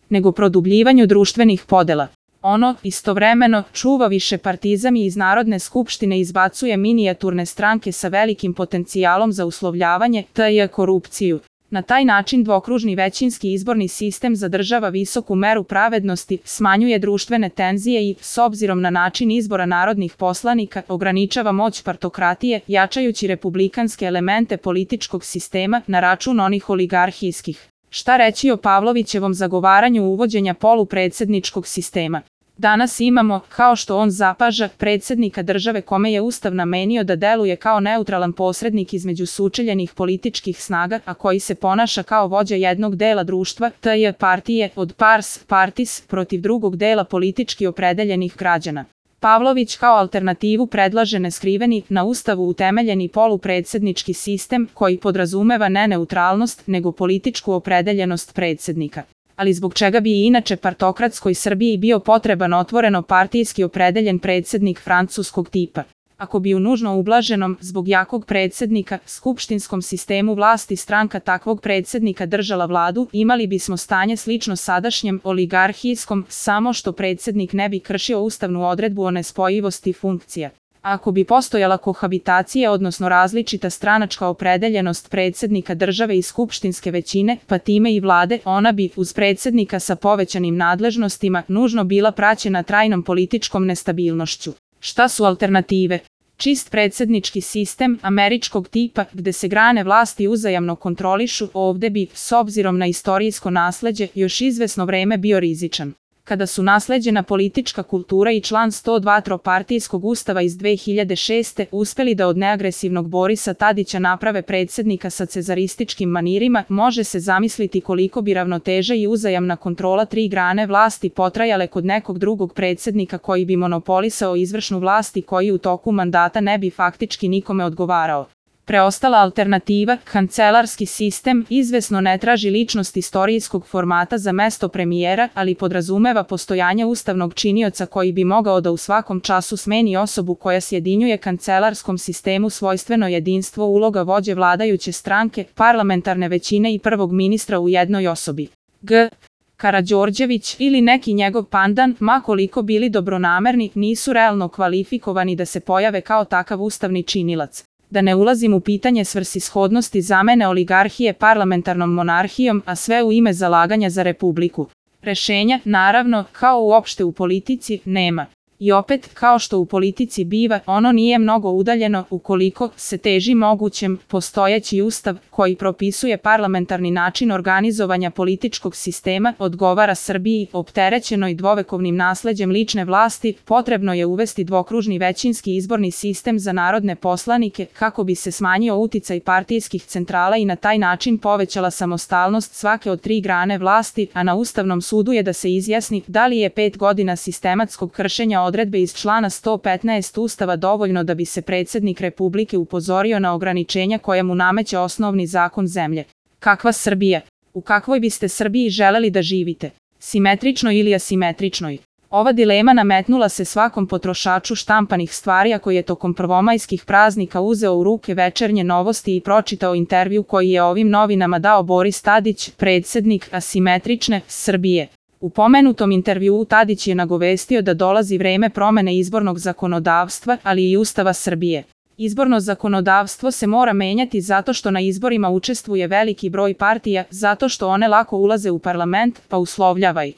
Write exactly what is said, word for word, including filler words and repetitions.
nego produbljivanju društvenih podela. Ono, istovremeno, čuva višepartizam i iz Narodne skupštine izbacuje minijaturne stranke sa velikim potencijalom za uslovljavanje, te je korupciju. Na taj način dvokružni većinski izborni sistem zadržava visoku meru pravednosti, smanjuje društvene tenzije i, s obzirom na način izbora narodnih poslanika, ograničava moć partokratije, jačajući republikanske elemente političkog sistema na račun onih oligarhijskih. Šta reći o Pavlovićevom zagovaranju uvođenja polupredsjedničkog sistema? Danas imamo, kao što on zapaža, predsjednika države kome je Ustav namenio da deluje kao neutralan posrednik između sučeljenih političkih snaga, a koji se ponaša kao vođa jednog dela društva, te je partije, od pars partis, protiv drugog dela politički opredeljenih građana. Pavlović kao alternativu predlaže neskriveni, na Ustavu utemeljeni polupredsjednički sistem koji podrazumeva ne neutralnost, nego političku opredeljenost predsjednika. Ali zbog čega bi i inače partokratskoj Srbiji bio potreban otvoreno partijski opredeljen predsjednik francuskog tipa? Ako bi u nužno ublaženom, zbog jakog predsjednika, skupštinskom sistemu vlasti stranka takvog predsjednika držala vladu, imali bismo stanje slično sadašnjem oligarhijskom, samo što predsjednik ne bi kršio ustavnu odredbu o nespojivosti funkcija. Ako bi postojala kohabitacija, odnosno različita stranačka opredeljenost predsjednika države i skupštinske većine, pa time i vlade, ona bi, uz predsjednika sa povećanim nadležnostima, nužno bila praćena trajnom političkom nestabilnošću. Šta su alternative? Čist predsjednički sistem američkog tipa, gde se grane vlasti uzajamno kontrolišu, ovde bi, s obzirom na istorijsko nasleđe, još izvesno vreme bio rizičan. Kada su nasleđena politička kultura i član sto dva tropartijskog ustava iz dve hiljade šeste uspeli da od neagresivnog Borisa Tadića naprave predsjednika sa cezarističkim manirima, može se zamisliti koliko bi ravnoteža i uzajamna kontrola tri grane vlasti potrajale kod nekog drugog predsjednika koji bi monopolisao izvršnu vlast i koji u toku mandata ne bi faktički nikome odgovarao. Preostala alternativa, kancelarski sistem, izvesno ne traži ličnost istorijskog formata za mesto premijera, ali podrazumeva postojanje ustavnog činioca koji bi mogao da u svakom času smeni osobu koja sjedinjuje kancelarskom sistemu svojstveno jedinstvo uloga vođe vladajuće stranke, parlamentarne većine i prvog ministra u jednoj osobi. G. Karađorđević ili neki njegov pandan, ma koliko bili dobronamerni, nisu realno kvalifikovani da se pojave kao takav ustavni činilac. Da ne ulazim u pitanje svrsishodnosti zamene oligarhije parlamentarnom monarhijom, a sve u ime zalaganja za republiku. Rešenja, naravno, kao uopšte u politici, nema. I opet, kao što u politici biva, ono nije mnogo udaljeno ukoliko se teži mogućem postojeći ustav koji propisuje parlamentarni način organizovanja političkog sistema, odgovara Srbiji, opterećenoj dvovekovnim nasleđem lične vlasti, potrebno je uvesti dvokružni većinski izborni sistem za narodne poslanike kako bi se smanjio uticaj partijskih centrala i na taj način povećala samostalnost svake od tri grane vlasti, a na Ustavnom sudu je da se izjasni da li je pet godina sistematskog kršenja odredbe iz člana sto petnaest Ustava dovoljno da bi se predsjednik Republike upozorio na ograničenja koja mu nameće osnovni zakon zemlje. Kakva Srbija? U kakvoj biste Srbiji želeli da živite? Simetričnoj ili asimetričnoj? Ova dilema nametnula se svakom potrošaču štampanih stvari ako je tokom prvomajskih praznika uzeo u ruke Večernje novosti i pročitao intervju koji je ovim novinama dao Boris Tadić, predsjednik asimetrične Srbije. U pomenutom intervjuu Tadić je nagovestio da dolazi vreme promene izbornog zakonodavstva, ali i Ustava Srbije. Izborno zakonodavstvo se mora menjati zato što na izborima učestvuje veliki broj partija, zato što one lako ulaze u parlament, pa uslovljavaj.